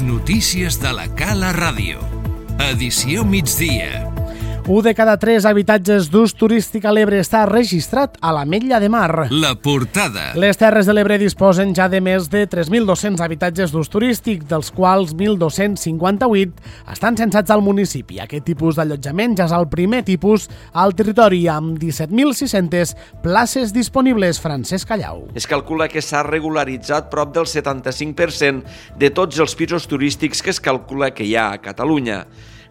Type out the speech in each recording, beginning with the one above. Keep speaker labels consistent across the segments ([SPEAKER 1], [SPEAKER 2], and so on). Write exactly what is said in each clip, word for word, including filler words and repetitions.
[SPEAKER 1] notícies de la Cala Ràdio. Edició migdia.
[SPEAKER 2] Un de cada tres habitatges d'ús turístic a l'Ebre està registrat a l'Ametlla de Mar.
[SPEAKER 1] La portada.
[SPEAKER 2] Les Terres de l'Ebre disposen ja de més de tres mil dos-cents habitatges d'ús turístic, dels quals mil dos-cents cinquanta-vuit estan censats al municipi. Aquest tipus d'allotjament ja és el primer tipus al territori, amb disset mil sis-centes places disponibles. Francesc Callau.
[SPEAKER 3] Es calcula que s'ha regularitzat prop del setanta-cinc per cent de tots els pisos turístics que es calcula que hi ha a Catalunya.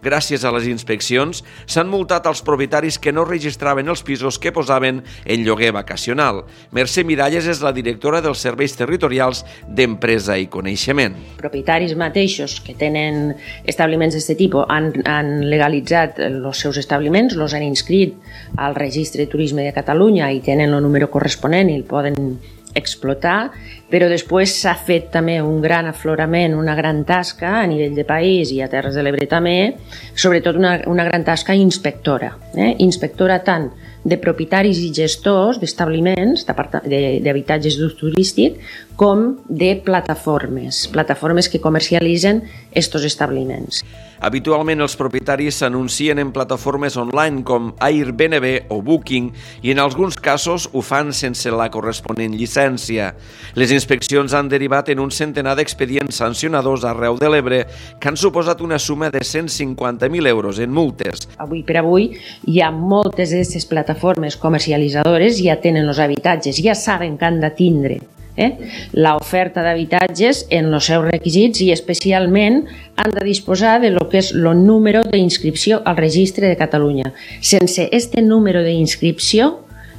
[SPEAKER 3] Gràcies a les inspeccions, s'han multat els propietaris que no registraven els pisos que posaven en lloguer vacacional. Mercè Miralles és la directora dels Serveis Territorials d'Empresa i Coneixement.
[SPEAKER 4] Propietaris mateixos que tenen establiments d'aquest tipus han, han legalitzat els seus establiments, els han inscrit al Registre de Turisme de Catalunya i tenen el número corresponent i el poden explotar, però després s'ha fet també un gran aflorament, una gran tasca a nivell de país i a Terres de l'Ebre també, sobretot una, una gran tasca inspectora, eh? inspectora tant de propietaris i gestors d'establiments, d'habitatges d'ús turístic, com de plataformes, plataformes que comercialitzen estos establiments.
[SPEAKER 3] Habitualment els propietaris s'anuncien en plataformes online com Airbnb o Booking i en alguns casos ho fan sense la corresponent llicència. Les inspeccions han derivat en un centenar d'expedients sancionadors arreu de l'Ebre que han suposat una suma de cent cinquanta mil euros en multes.
[SPEAKER 4] Avui per avui hi ha moltes d'aquestes plataformes comercialitzadores, ja tenen els habitatges, ja saben que han de tindre Eh? l'oferta d'habitatges en els seus requisits i especialment han de disposar de lo que és el número d'inscripció al Registre de Catalunya. Sense este número d'inscripció,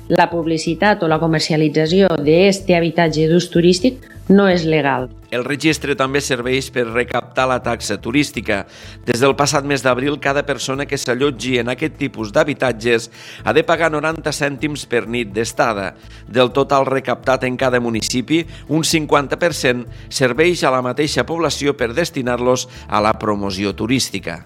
[SPEAKER 4] la publicitat o la comercialització d'aquest habitatge d'ús turístic no és legal.
[SPEAKER 3] El registre també serveix per recaptar la taxa turística. Des del passat mes d'abril, cada persona que s'allotgi en aquest tipus d'habitatges ha de pagar noranta cèntims per nit d'estada. Del total recaptat en cada municipi, un cinquanta per cent serveix a la mateixa població per destinar-los a la promoció turística.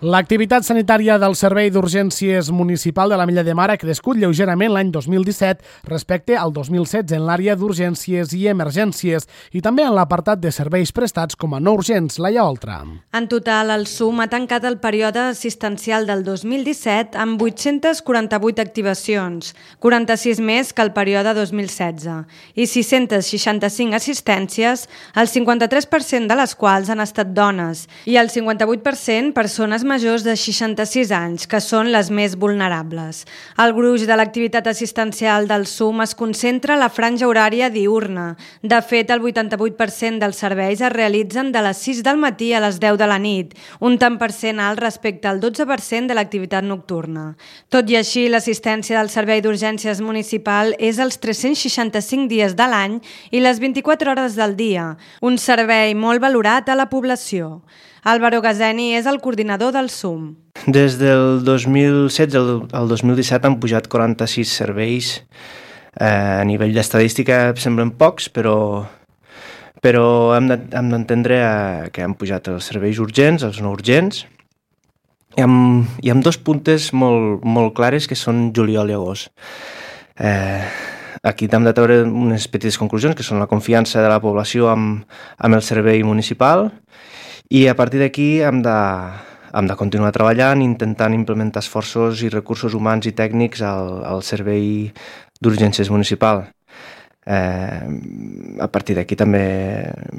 [SPEAKER 2] L'activitat sanitària del Servei d'Urgències Municipal de l'Ametlla de Mar ha crescut lleugerament l'any dos mil disset respecte al dos mil setze en l'àrea d'urgències i emergències i també en l'apartat de serveis prestats com a no urgents. Laia Oltra.
[SPEAKER 5] En total, el S U M ha tancat el període assistencial del dos mil disset amb vuit-centes quaranta-vuit activacions, quaranta-sis més que el període dos mil setze, i sis-centes seixanta-cinc assistències, el cinquanta-tres per cent de les quals han estat dones i el cinquanta-vuit per cent persones majors de seixanta-sis anys, que són les més vulnerables. El gruix de l'activitat assistencial del S U M es concentra a la franja horària diürna. De fet, el vuitanta-vuit per cent dels serveis es realitzen de les sis del matí a les deu de la nit, un tant per cent alt respecte al dotze per cent de l'activitat nocturna. Tot i així, l'assistència del Servei d'Urgències Municipal és els tres-cents seixanta-cinc dies de l'any i les vint-i-quatre hores del dia, un servei molt valorat a la població. Álvaro Gazeni és el coordinador del S U M.
[SPEAKER 6] Des del dos mil setze al dos mil disset han pujat quaranta-sis serveis. Eh, a nivell d'estadística semblen pocs, però, però hem d'entendre eh, que han pujat els serveis urgents, els no urgents, i amb, i amb dos puntes molt, molt clares que són juliol i agost. Eh, Aquí hem de treure unes petites conclusions, que són la confiança de la població amb, amb el servei municipal, i a partir d'aquí hem de, hem de continuar treballant, intentant implementar esforços i recursos humans i tècnics al, al servei d'urgències municipal. Eh, a partir d'aquí també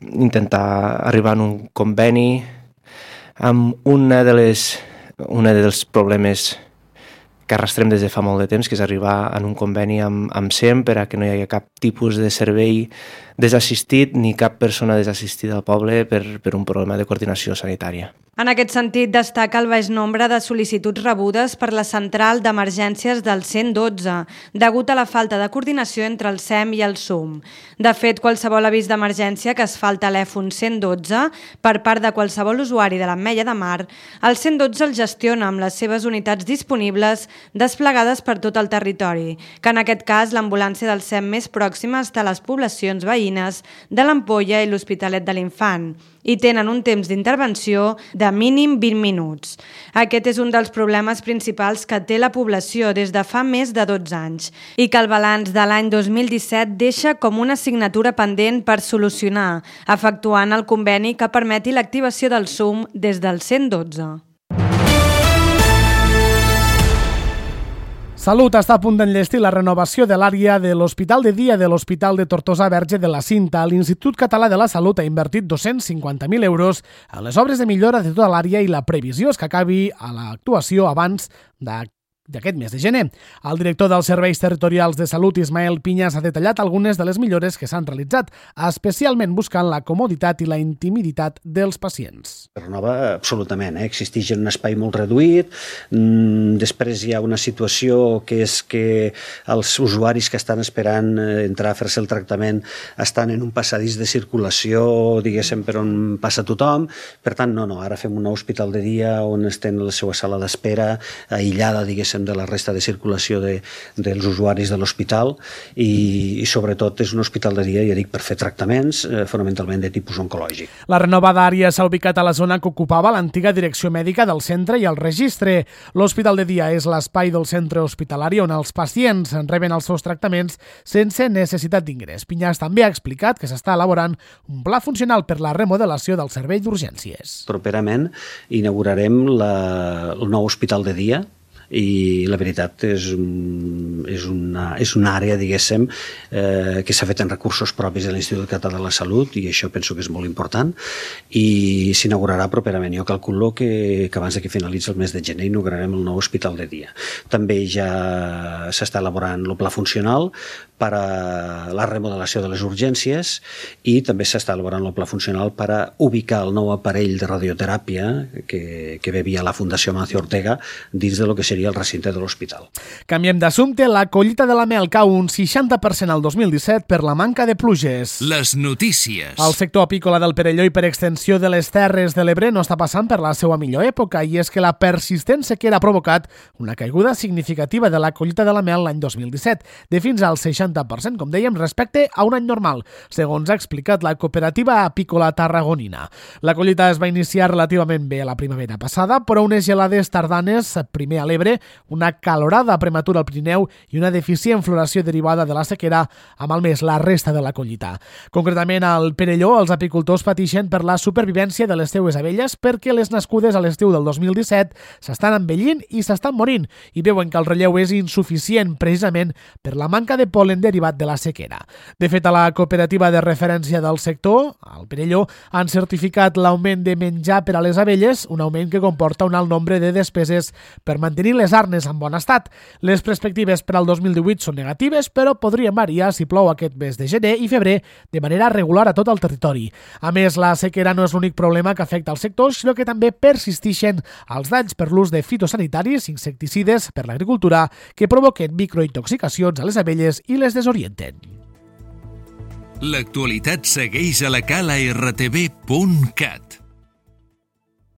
[SPEAKER 6] intentar arribar a un conveni amb una de les, una dels problemes que arrastrem des de fa molt de temps, que és arribar en un conveni amb, amb S E M per a que no hi hagi cap tipus de servei desassistit ni cap persona desassistida al poble per, per un problema de coordinació sanitària.
[SPEAKER 5] En aquest sentit, destaca el baix nombre de sol·licituds rebudes per la central d'emergències del cent dotze, degut a la falta de coordinació entre el S E M i el S U M. De fet, qualsevol avís d'emergència que es fa al telèfon cent dotze per part de qualsevol usuari de l'Ametlla de Mar, el cent dotze el gestiona amb les seves unitats disponibles desplegades per tot el territori, que en aquest cas l'ambulància del S E M més pròxima està a les poblacions veïnes de l'Ampolla i l'Hospitalet de l'Infant, i tenen un temps d'intervenció de de mínim vint minuts. Aquest és un dels problemes principals que té la població des de fa més de dotze anys i que el balanç de l'any dos mil disset deixa com una assignatura pendent per solucionar, efectuant el conveni que permeti l'activació del S U M des del cent dotze.
[SPEAKER 2] Salut està a punt d'enllestir la renovació de l'àrea de l'Hospital de Dia de l'Hospital de Tortosa Verge de la Cinta. L'Institut Català de la Salut ha invertit dos-cents cinquanta mil euros en les obres de millora de tota l'àrea i la previsió és que acabi a l'actuació abans de d'aquest mes de gener. El director dels Serveis Territorials de Salut, Ismael Piñas, ha detallat algunes de les millores que s'han realitzat, especialment buscant la comoditat i la intimitat dels pacients.
[SPEAKER 7] Es renova absolutament, eh? Existeix en un espai molt reduït, mm, després hi ha una situació que és que els usuaris que estan esperant entrar a fer-se el tractament estan en un passadís de circulació, diguéssim, per on passa tothom, per tant, no, no, ara fem un nou hospital de dia on estem a la seva sala d'espera, aïllada, diguéssim, de la resta de circulació de, dels usuaris de l'hospital i, i sobretot és un hospital de dia, ja dic, per fer tractaments eh, fonamentalment de tipus oncològic.
[SPEAKER 2] La renovada àrea s'ha ubicat a la zona que ocupava l'antiga direcció mèdica del centre i el registre. L'hospital de dia és l'espai del centre hospitalari on els pacients reben els seus tractaments sense necessitat d'ingrés. Piñas també ha explicat que s'està elaborant un pla funcional per la remodelació del servei d'urgències.
[SPEAKER 7] Properament inaugurarem la, el nou hospital de dia i la veritat és, és, una, és una àrea, diguéssim, eh, que s'ha fet en recursos propis de l'Institut Català de la Salut i això penso que és molt important i s'inaugurarà properament. Jo calculo que, que abans que finalitzi el mes de gener inaugurarem el nou hospital de dia. També ja s'està elaborant el pla funcional per a la remodelació de les urgències i també s'està elaborant el pla funcional per a ubicar el nou aparell de radioteràpia que, que ve via la Fundació Mancio Ortega dins de lo que seria el recinte de l'hospital.
[SPEAKER 2] Canviem d'assumpte. La collita de la mel cau un seixanta per cent al dos mil disset per la manca de pluges.
[SPEAKER 1] Les notícies.
[SPEAKER 2] El sector apícola del Perelló i per extensió de les Terres de l'Ebre no està passant per la seva millor època i és que la persistent sequera ha provocat una caiguda significativa de la collita de la mel l'any dos mil disset, de fins al seixanta per cent, com dèiem, respecte a un any normal, segons ha explicat la cooperativa apícola tarragonina. La collita es va iniciar relativament bé la primavera passada, però unes gelades tardanes, primer a l'Ebre, una calorada prematura al Pirineu i una deficient floració derivada de la sequera ha malmès la resta de la collita. Concretament, al Perelló, els apicultors pateixen per la supervivència de les seues abelles perquè les nascudes a l'estiu del dos mil disset s'estan envellint i s'estan morint i veuen que el relleu és insuficient precisament per la manca de pol·len derivat de la sequera. De fet, a la cooperativa de referència del sector, al Perelló, han certificat l'augment de menjar per a les abelles, un augment que comporta un alt nombre de despeses per mantenir les arnes en bon estat. Les perspectives per al dos mil divuit són negatives, però podrien variar si plou aquest mes de gener i febrer de manera regular a tot el territori. A més, la sequera no és l'únic problema que afecta al sector, sinó que també persisteixen els danys per l'ús de fitosanitaris, insecticides per l'agricultura, que provoquen microintoxicacions a les abelles i les desorienten.
[SPEAKER 1] L'actualitat segueix a la cala r t v punt cat.